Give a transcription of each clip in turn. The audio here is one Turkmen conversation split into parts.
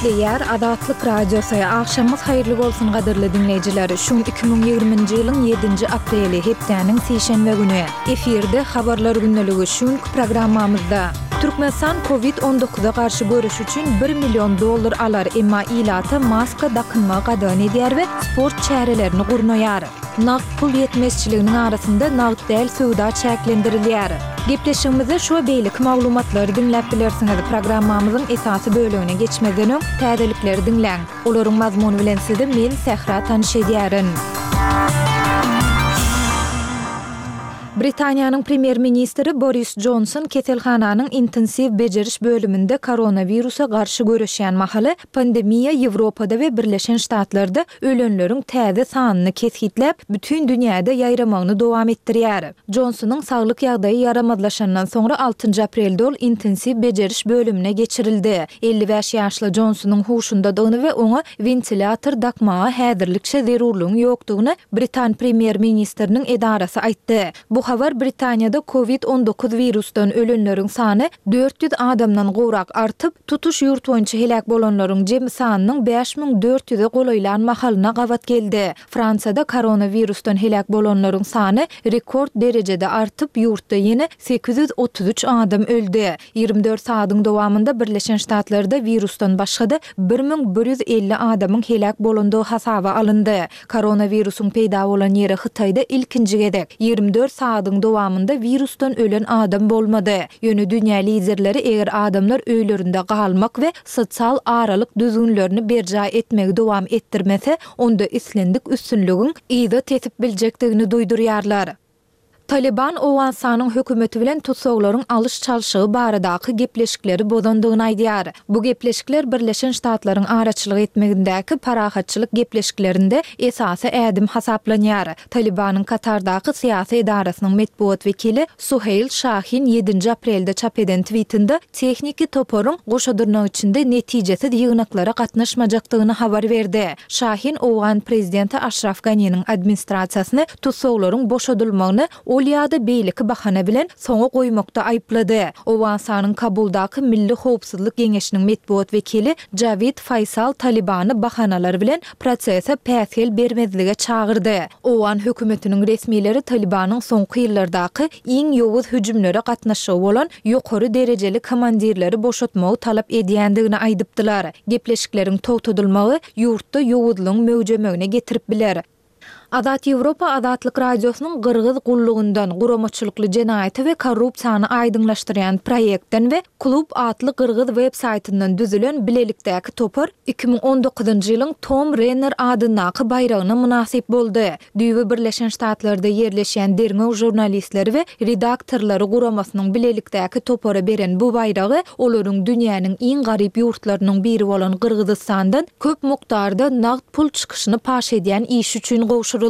Gepleýär Azatlyk Radiosy, Agşamyňyz haýyrly bolsun gadyrly diňleýjiler! Şu gün 2020-nji ýylyň ýedinji apreli, hepdäniň sişenbe güni. Efirde Habarlar gündeligi şu günki programmamyzda. Türkmenistan Covid on dokuza garşy göreş üçin bir million dollar alar, emma ilata maska dakynmagy gadagan edýär we sport çärelerini gurnaýar. Nagt pul ýetmezçiliginiň arasynda nagt däl söwda çäklendirilýär. Gepleşigimizde şu we beýleki maglumatlary diňläp bilersiňiz. Programmamyzyň esasy bölegine geçmezden öň, täzelikleri diňläň. Olaryň mazmuny bilen sizi men, Sähra tanyş edýärin. Britaniýanyň premýer-ministri Boris Jonson keselhananyň intensiw bejeriş bölüminde koronawirusa garşy göreşýän mahaly pandemiýa Ýewropada we Birleşen Ştatlarda ölenleriň täze sanyny kesgitläp, bütin dünýäde ýaýramagyny dowam etdirýär. Jonsonyň saglyk ýagdaýy ýaramazlaşandan soňra altynjy aprelde ol intensiw bejeriş bölümine geçirildi. 55 ýaşly Jonsonyň huşundadygyny we oňa wentilýator dakmaga häzirlikçe zerurlygyň ýokdugyny britan premýer-ministriniň edarasy aýtdy. Bu habar Britaniýada Covid 19 wirusdan ölenleriň sany 400 adamdan gowrak artyp, Tutuş ýurt boýunça heläk bolanlaryň jemi sanynyň 5400-e golaýlan mahalyna gabat geldi. Fransiýada koronawirusdan heläk bolanlaryň sany rekord derejede artyp, ýurtda ýene 833 adam öldi. 24 sagadyň dowamynda Birleşen Ştatlarda wirusdan başga-da 1150 adamyň heläk bolandygy hasaba alyndy. Koronawirusyň peýda bolan ýeri Hytaýda ilkinji gezek, 24 sagadyň dowamynda wirusdan ölen adam bolmady. Ýöne dünýä liderleri eger adamlar öýlerinde galmak we sosial aralyk düzgünlerini berjaý etmegi dowam etdirmese, onda islendik üstünligiň yza tesip biljekdigini duýdurýarlar. Talyban Owganystanyň hökümeti bilen tussaglaryň alyş-çalşygy baradaky gepleşikleri bozandygyny aýdýar. Bu gepleşikler Birleşen Ştatlaryň araçylyk etmegindäki parahatçylyk gepleşiklerinde esasy ädim hasaplanýar. Talybanyň Katardaky syýasy edarasynyň metbugat wekili Suheýl Şahin ýedinji aprelde çap eden twitinde tehniki toparyň goşa dyrnak içinde netijesiz ýygnaklara gatnaşmajakdygyny habar berdi. Şahin owgan prezidenti Aşraf Ganiniň administrasiýasyny tussaglaryň boşadylmagyny ol ýa-da beýleki bahana bilen soňa goýmakda aýyplady. Owganystanyň Kabuldaky Milli howpsuzlyk geňeşiniň metbugat wekili Jawid Faýsal Talybany bahanalar bilen prosese päsgel bermezlige çagyrdy. Owgan hökümetiniň resmileri Talybanyň soňky ýyllardaky iň ýowuz hüjümlere gatnaşygy bolan ýokary derejeli komandirleri boşatmagy talap edýändigini aýdypdylar. Gepleşikleriň togtadylmagy ýurtda ýowuzlygyň möwjemegine getirip biler. Azat Ýewropa Azatlyk Radiosynyň Gyrgyz gullugyndan, guramaçylykly jenaýaty we korrupsiýany aýdyňlaşdyrýan proýektden we Klub atly gyrgyz web-saýtyndan düzülen bilelikdäki topar 2019-njy ýylyň Tom Renner adyndaky baýragyna mynasyp boldy. Düýbi Birleşen Ştatlarda ýerleşýän derňew žurnalistleri we redaktorlary guramasynyň bilelikdäki topara beren bu baýragy olaryň dünýäniň iň garyp ýurtlarynyň biri bolan Gyrgyzystandan köp mukdarda nagt pul çykyşyny paş edýän işi üçin gowşuryldy.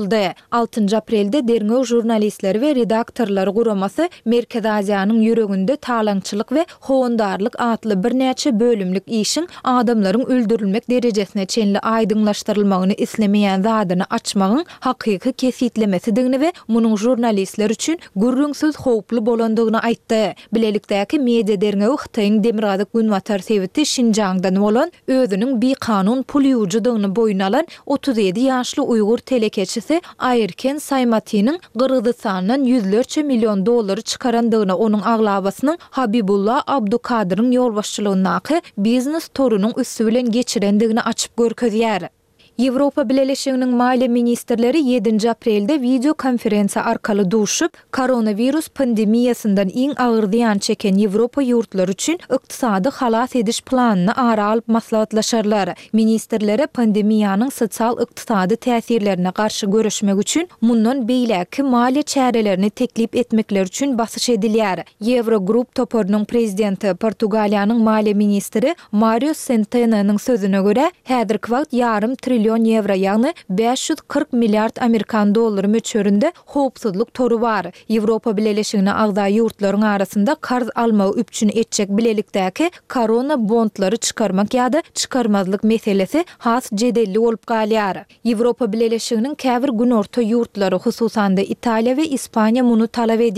Altynjy aprelde derňew žurnalistleri we redaktorlary guramasy Merkezi Aziýanyň ýüreginde talaňçylyk we howandarlyk atly birnäçe bölümlik işiň adamlaryň öldürilmek derejesine çenli aýdyňlaşdyrylmagyny islemeýän zadyny açmagyň hakyky kesgitlemesidigini we munuň žurnalistler üçin gürrüňsiz howply bolandygyny aýtdy. Bilelikdäki media derňewi Hytaýyň demirgazyk-günbatar sebiti Şinjaňdan bolan, özüniň bikanun pul ýuwujydygyny boýun alan 37 ýaşly uýgur telekeçisi Aýerken Saýmatiniň Gyrgyzystandan ýüzlerçe million dollary çykarandygyny, onuň aglabasynyň Habibulla Abdukadyryň ýolbaşçylygyndaky biznes torunyň üsti bilen geçirendigini açyp görkezýär. Ýewropa Bileleşiginiň maliýe ministrleri ýedinji aprelde wideokonferensiýa arkaly duşup, koronawirus pandemiýasyndan iň agyr zyýan çeken Ýewropa ýurtlary üçin ykdysady halas ediş planyny ara alyp maslahatlaşarlar. Ministrlere pandemiýanyň sosial-ykdysady täsirlerine garşy göreşmek üçin mundan beýläkki maliýe çärelerini teklip etmekleri üçin basyş edilýär. Ýewrogrupp toparynyň prezidenti, Portugaliýanyň maliýe ministri Mario Sentenonyň sözüne görä, häzirki wagt ýarym trillion ýewro, ýagny 540 milliard amerikan dollary möçberinde howpsuzlyk tory bar. Ýewropa Bileleşigine agza ýurtlaryň arasynda karz almagy üpjün etjek bilelikdäki korona bondlary çykarmak ýa-da çykarmazlyk meselesi has jedelli bolup galýar. Ýewropa Bileleşiginiň käbir günorta ýurtlary, hususan-da Italiýa we Ispaniýa muny talap edýär.